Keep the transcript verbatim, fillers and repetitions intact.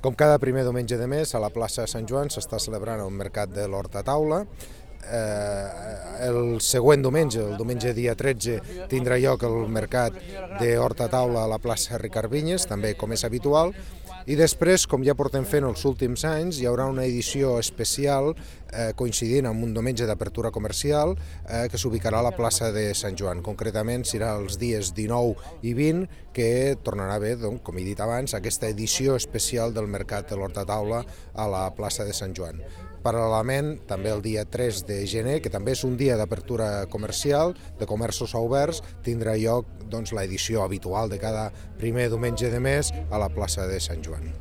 Com cada primer diumenge de mes, a la plaça de Sant Joan s'està celebrant el mercat de l'Horta Taula. Eh, el següent diumenge, el diumenge dia tretze, tindrà lloc el mercat de Horta Taula a la plaça Ricard Vinyes, també com és habitual. I després, com ja portem fent els últims anys, hi haurà una edició especial eh, coincidint amb un diumenge d'apertura comercial eh, que s'ubicarà a la plaça de Sant Joan. Concretament serà els dies dinou i vint que tornarà a haver, doncs, com he dit abans, aquesta edició especial del mercat de l'Horta Taula a la plaça de Sant Joan. Paral·lelament, també el dia tres de gener, que també és un dia d'apertura comercial, de comerços oberts, tindrà lloc doncs, l'edició habitual de cada primer diumenge de mes a la plaça de Sant Joan.